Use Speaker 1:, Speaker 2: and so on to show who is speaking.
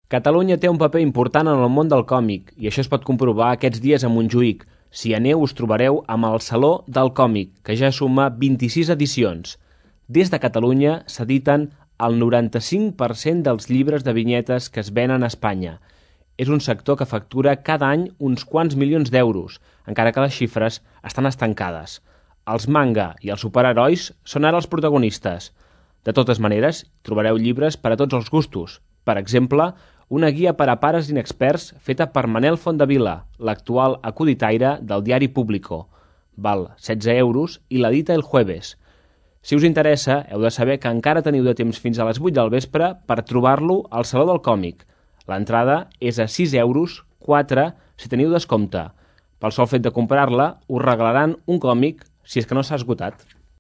Speaker 1: Catalunya té un paper important en el món del còmic i això es pot comprovar aquests dies a Montjuïc. Si aneu us trobareu amb el Saló del Còmic, que ja suma 26 edicions. Des de Catalunya s'editen el 95% dels llibres de vinyetes que es venen a Espanya. És un sector que factura cada any uns quants milions d'euros, encara que les xifres estan estancades. Els manga i els superherois són ara els protagonistes. De totes maneres, trobareu llibres per a tots els gustos. Per exemple, una guia per a pares inexperts feta per Manel Fondavila, l'actual acuditaire del diari Público. Val 16 euros i l'edita El Jueves. Si us interessa, heu de saber que encara teniu de temps fins a les 8 del vespre per trobar-lo al Saló del Còmic. L'entrada és a 6 euros, 4 si teniu descompte. Pel sol fet de comprar-la, us regalaran un còmic si és que no s'ha esgotat.